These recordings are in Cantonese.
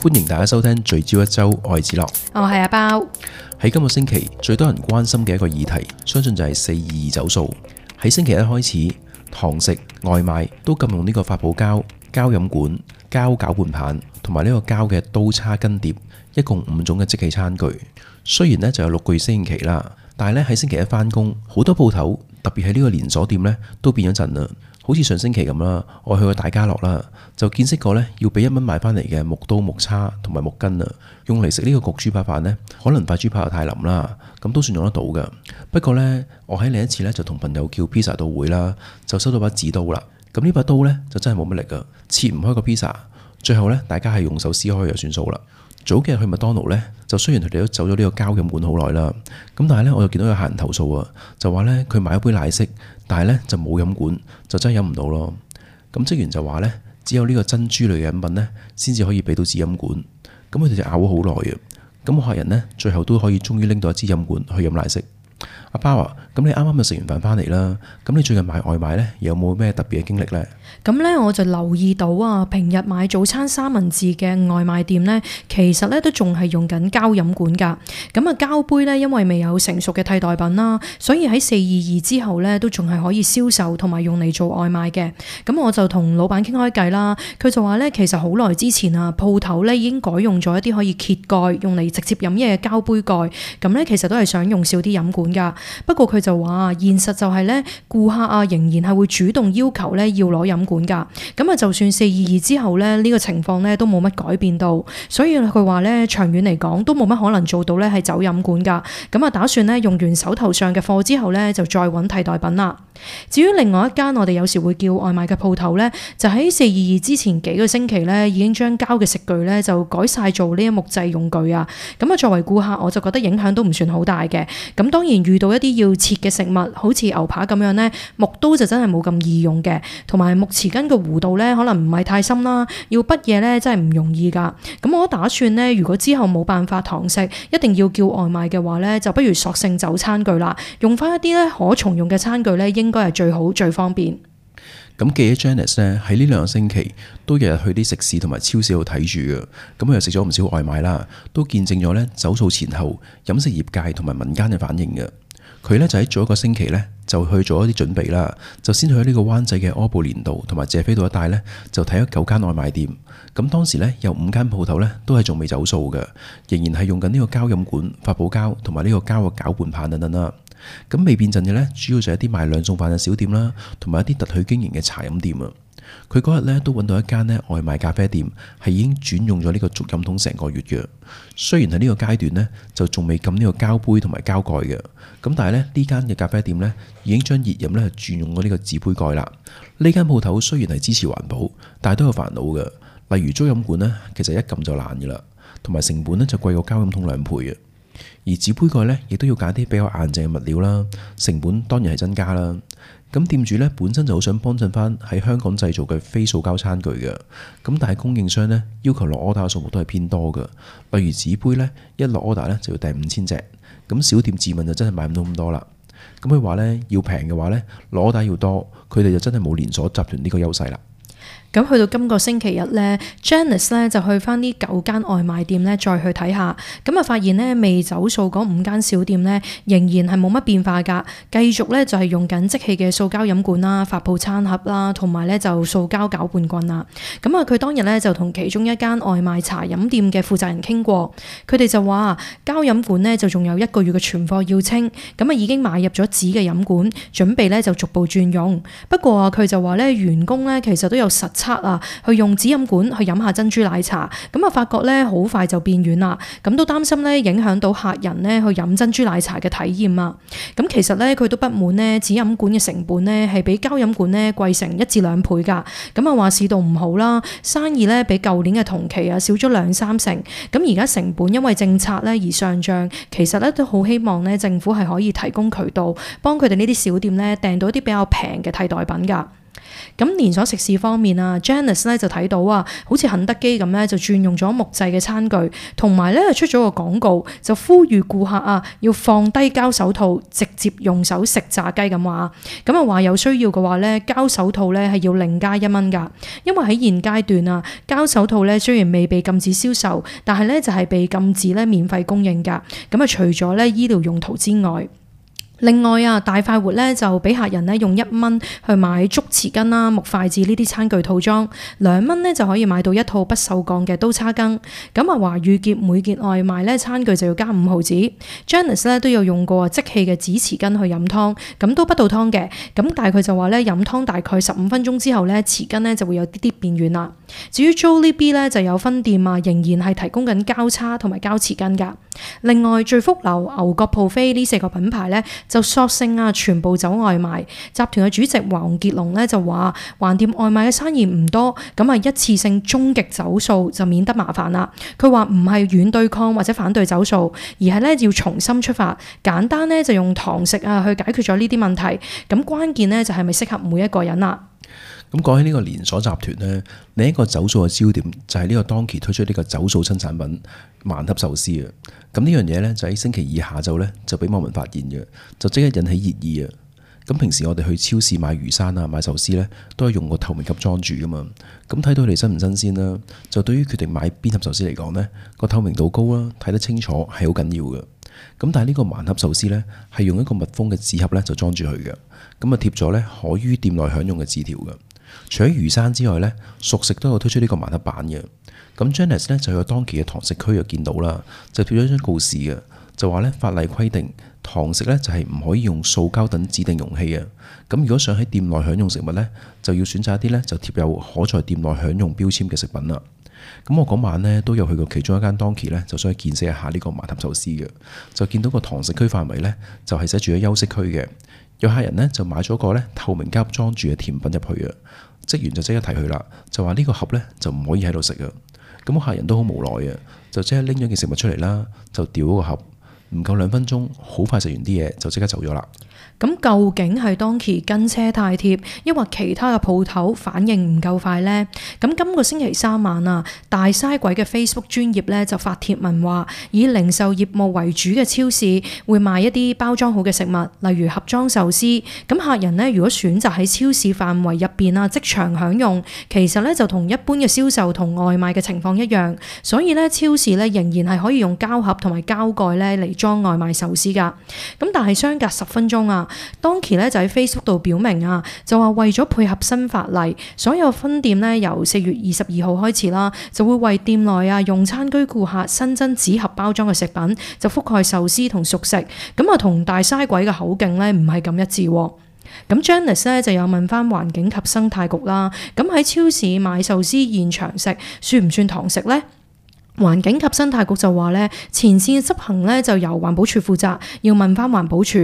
歡迎大家收聽聚焦一周，我係子樂，我係阿包。喺今個星期最多人關心嘅一個議題，相信就係422走數。喺星期一開始，堂食、外賣都禁用呢個發泡膠、膠飲管、膠攪拌棒同埋呢個膠嘅刀叉羹碟，一共5種嘅即棄餐具。雖然呢就有6個月適應期啦，但係呢喺星期一返工，好多鋪頭特別係呢個連鎖店呢都變咗陣啦。好似上星期咁啦，我去過大家樂啦，就見識過呢要俾1蚊買返嚟嘅木刀、木叉同埋木羹啊，用嚟食呢個焗豬扒飯呢，可能塊豬扒又太腍啦，咁都算用得到㗎。不過呢，我喺另一次呢就同朋友叫 pizza 到會啦，就收到把紙刀啦。咁呢把刀呢，就真係冇乜力㗎，切唔開個 pizza。最後呢，大家係用手撕開就算數啦。早幾日去麥當勞呢，就雖然佢哋都走咗呢個膠飲管好耐啦，咁但係呢，我又見到有客人投訴啊，就話呢，佢買一杯奶昔，但係呢就冇飲管，就真係飲唔到咯。咁職員就話呢，只有呢個珍珠類嘅飲品呢，先至可以俾到支飲管。咁佢哋就拗咗好耐啊。咁我客人呢，最後都可以終於拎到一支飲管去飲奶昔。阿包啊，咁你啱啱就食完飯返嚟啦，咁你最近買外賣呢，有冇咩特別嘅經歷呢？咁呢，我就留意到啊，平日買早餐三文治嘅外賣店呢，其實呢都仲係用緊膠飲管㗎。咁啊，膠杯呢，因為未有成熟嘅替代品啦，所以喺422之後呢，都仲係可以銷售同埋用嚟做外賣嘅。咁我就同老闆傾開計啦，佢就話呢，其實好耐之前啊，鋪頭呢已經改用咗一啲可以揭蓋用嚟直接飲嘢嘅膠杯蓋。咁呢，其實都係想用少啲飲管㗎。不過佢就話現實就係呢，顧客啊仍然係會主動要求呢要攞飲管㗎。咁啊，就算422之後呢，呢個情況呢都冇乜改變到，所以佢話呢，長遠嚟講都冇乜可能做到呢係走飲管㗎。咁啊，打算呢用完手頭上嘅貨之後呢，就再揾替代品啦。至於另外一間我哋有時會叫外賣嘅鋪頭呢，就喺422之前幾個星期呢已經將膠嘅食具呢就改晒做呢一木製用具啊。咁啊，作為顧客我就覺得影響都唔算好大嘅。咁當然遇到一啲要切嘅食物，好似牛扒咁樣呢，木刀就真係冇咁易用嘅，同埋木匙羹嘅弧度呢可能唔係太深啦，要滗嘢呢真係唔容易㗎。咁我打算呢，如果之後冇辦法堂食，一定要叫外賣嘅話呢，就不如索性走餐具啦，用翻一啲呢可重用嘅餐具呢，應該係最好最方便。咁記者 Janice 呢，喺呢2個星期都日日去啲食肆同埋超市度睇住嘅，咁佢又食咗唔少外賣啦，都見證咗呢走數前後飲食業界同埋民間嘅反應嘅。佢呢就喺早一個星期呢，就去做一啲準備啦，就先去呢個灣仔嘅柯布連道同埋謝斐道一帶呢，就睇咗9間外賣店。咁當時呢，有5間鋪頭呢，都係仲未走數嘅，仍然係用緊呢個膠飲管、發泡膠同埋呢個膠嘅攪拌棒等等啦。咁未變陣嘅呢，主要就係一啲賣兩餸飯嘅小店啦，同埋一啲特許經營嘅茶飲店啊。佢嗰日呢都揾到一間呢外賣咖啡店，係已經轉用咗呢個竹飲桶成個月嘅。雖然喺呢個階段呢，就仲未禁呢個膠杯同埋膠蓋嘅，咁但係呢間嘅咖啡店呢，已經將熱飲呢轉用咗呢個紙杯蓋啦。呢間鋪頭雖然係支持環保，但係都有煩惱嘅。例如竹飲管呢，其實一撳就爛嘅啦，同埋成本呢就貴過膠飲桶2倍嘅。而紙杯蓋呢，亦都要揀啲比較硬淨嘅物料啦，成本當然係增加啦。咁店主呢，本身就好想幫襯翻喺香港製造嘅非塑膠餐具嘅，咁但係供應商呢，要求落 order 嘅數目都係偏多嘅。例如紙杯呢，一落 order 呢就要訂5000隻，咁小店自問就真係買唔到咁多啦。咁佢話呢，要平嘅話呢，落 order 要多，佢哋就真係冇連鎖集團呢個優勢啦。咁去到今個星期日呢 Janice 呢就去翻呢9間外賣店呢再去睇下，咁啊發現呢未走數嗰5間小店呢仍然係冇乜變化㗎，繼續呢就係用緊即棄嘅塑膠飲管啦、發泡餐盒啦，同埋呢就塑膠攪拌棍啦。咁啊佢當日呢就同其中一間外賣茶飲店嘅負責人傾過，佢哋就話膠飲管呢就仲有1個月嘅存貨要清，咁啊已經買入咗紙嘅飲管，準備呢就逐步轉用。不過啊佢就話呢員工呢其實都有實測啊，去用紙飲管去飲下珍珠奶茶，咁啊發覺咧好快就變軟啦，咁都擔心咧影響到客人咧去飲珍珠奶茶嘅體驗啊。咁其實咧佢都不滿咧紙飲管嘅成本咧係比膠飲管咧貴成1至2倍㗎，咁啊話市道唔好啦，生意咧比舊年嘅同期啊少咗2-3成，咁而家成本因為政策咧而上漲，其實咧都好希望咧政府係可以提供渠道幫佢哋呢啲小店咧訂到一啲比較平嘅替代品㗎。咁連鎖食肆方面啊 ，Janice 咧就睇到啊，好似肯德基咁咧就轉用咗木製嘅餐具，同埋咧出咗個廣告，就呼籲顧客啊要放低膠手套，直接用手食炸雞咁話。咁啊話有需要嘅話咧，膠手套咧係要另加1蚊㗎，因為喺現階段啊，膠手套咧雖然未被禁止銷售，但係咧就係被禁止咧免費供應㗎。咁啊除咗咧醫療用途之外。另外啊，大快活咧就俾客人咧用1蚊去買竹匙羹啦、木筷子呢啲餐具套裝，2蚊咧就可以買到一套不鏽鋼嘅刀叉羹。咁啊華御結每件外賣咧餐具就要加5毫子。Janice 咧都有用過即棄嘅紙匙羹去飲湯，咁都不倒湯嘅。咁但係佢就話咧飲湯大概15分鐘之後咧匙羹咧就會有啲啲變軟啦。至於 Jollibee 咧就有分店啊，仍然係提供緊膠叉同埋膠匙羹㗎。另外聚福樓、牛角 buffet 呢4個品牌咧就索性啊全部走外賣。集團嘅主席黃傑龍咧就話，橫掂外賣嘅生意唔多，咁啊一次性終極走數就免得麻煩啦。佢話唔係軟對抗或者反對走數，而係咧要重新出發，簡單咧就用堂食啊去解決咗呢啲問題。咁關鍵咧就係咪適合每一個人啦。咁講起呢個連鎖集團呢，另一個走數嘅焦點就係呢個當期推出呢個走數新產品萬盒壽司啊！咁呢樣嘢呢，就喺星期二下晝呢，就俾網民發現嘅，就即刻引起熱議啊！咁平時我哋去超市買魚生啊、買壽司呢，都係用個透明盒裝住噶嘛。咁睇到佢哋新唔新鮮啦，就對於決定買邊盒壽司嚟講呢，個透明度高啦，睇得清楚係好緊要嘅。咁但係呢個萬盒壽司呢，係用一個密封嘅紙盒呢，就裝住佢嘅，咁啊貼咗呢可於店內享用嘅字條嘅。除咗魚生之外呢，熟食都有推出呢個萬盒版嘅。咁 Janice 呢，就有當期嘅堂食區就見到啦，就貼咗一張告示嘅，就話呢法例規定堂食呢就係唔可以用塑膠等指定容器啊。咁如果想喺店內享用食物呢，就要選擇一啲呢就貼有可在店內享用標籤嘅食品啦。咁我嗰晚呢都有去過其中一間當期呢，就想去見識一下呢個萬盒壽司嘅，就見到個堂食區範圍呢，就係寫住咗休息區嘅。有客人呢，就買咗個呢透明膠裝住嘅甜品入去啊，職員就即刻提佢啦，就話呢個盒呢，就唔可以喺度食啊。咁客人都好無奈啊，就即刻拎咗件食物出嚟啦，就掉咗個盒，唔夠2分鐘，好快食完啲嘢就即刻走咗啦。咁究竟係當期跟車太貼，抑或其他嘅鋪頭反應唔夠快呢？咁今個星期3晚啊，大嘥鬼嘅 Facebook 專頁咧就發帖文話，以零售業務為主嘅超市會賣一啲包裝好嘅食物，例如盒裝壽司。咁客人呢，如果選擇喺超市範圍入邊啊即場享用，其實咧就同一般嘅銷售同外賣嘅情況一樣。所以咧超市咧仍然係可以用膠盒同埋膠蓋咧嚟裝外賣壽司㗎。咁但係相隔10分鐘啊，當期咧就喺 Facebook 度表明啊，就話為咗配合新法例，所有分店咧由4月22號開始啦，就會為店內啊用餐居顧客新增紙盒包裝嘅食品，就覆蓋壽司同熟食。咁啊同大嘥鬼嘅口徑咧唔係咁一致。咁 Janice 咧就有問翻環境及生態局啦，咁喺超市買壽司現場食算唔算堂食呢？環境及生態局就話咧，前線執行咧就由環保署負責，要問翻環保署。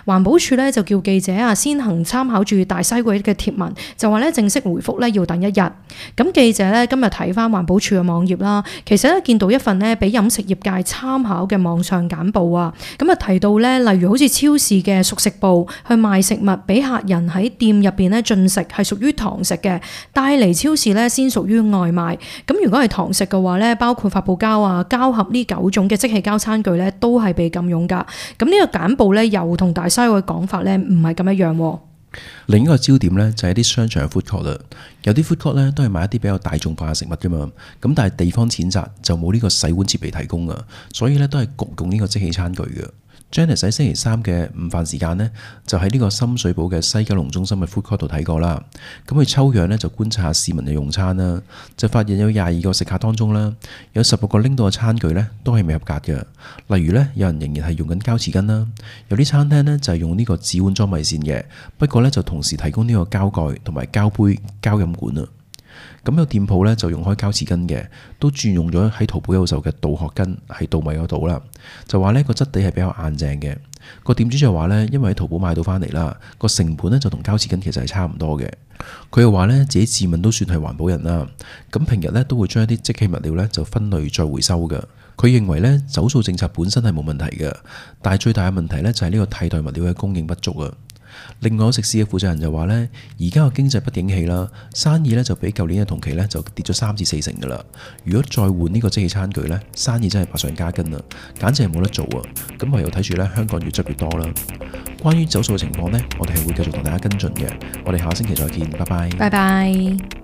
環保署咧就叫記者啊先行參考住大嘥鬼嘅貼文，就話咧正式回覆咧要等1日。咁記者咧今日睇翻環保署嘅網頁啦，其實咧見到一份咧俾飲食業界參考嘅網上簡報啊，咁啊提到咧，例如好似超市嘅熟食部去賣食物俾客人喺店入邊咧進食係屬於堂食嘅，帶嚟超市咧先屬於外賣。咁如果係堂食嘅話咧，包括發泡膠啊、膠盒呢9種嘅即棄膠餐具咧，都係被禁用噶。咁呢個簡報咧，又同大嘥鬼嘅講法咧，唔係咁一樣。另一個焦點咧就係啲商場嘅 food court 啦，有啲 food court 咧都係賣一啲比較大眾化嘅食物噶嘛。咁但係地方淺窄，就冇呢個洗碗設備提供噶，所以咧都係焗用呢個即棄餐具嘅。Janice 喺星期3嘅午飯時間呢，就喺呢個深水埗嘅西九龍中心嘅 food court 度睇過啦。咁佢抽樣呢，就觀察下市民嘅用餐啦，就發現有22個食客當中啦，有16個拎到嘅餐具呢都係未合格嘅。例如呢，有人仍然係用緊膠匙羹啦，有啲餐廳呢就係用呢個紙碗裝米線嘅，不過呢就同時提供呢個膠蓋同埋膠杯、膠飲管啊。咁有店鋪咧就用開膠匙羹嘅，都轉用咗喺淘寶有售嘅稻殼羹喺稻米嗰度啦。就話呢個質地係比較硬淨嘅。個店主就話呢，因為喺淘寶買到翻嚟啦，個成本呢就同膠匙羹其實係差唔多嘅。佢又話呢，自己自問都算係環保人啦。咁平日呢都會將一啲即棄物料呢就分類再回收嘅。佢認為呢，走數政策本身係冇問題嘅，但係最大嘅問題呢就係呢個替代物料嘅供應不足啊。另外有食肆嘅負責人就話呢，而家個經濟不景氣啦，生意呢就比舊年嘅同期呢就跌咗3至4成噶啦。如果再換呢個即棄餐具呢，生意真係百上加斤啦，簡直係冇得做啊！咁唯有睇住呢，香港越執越多啦。關於走數嘅情況呢，我哋係會繼續同大家跟進嘅。我哋下星期再見，拜拜。拜拜。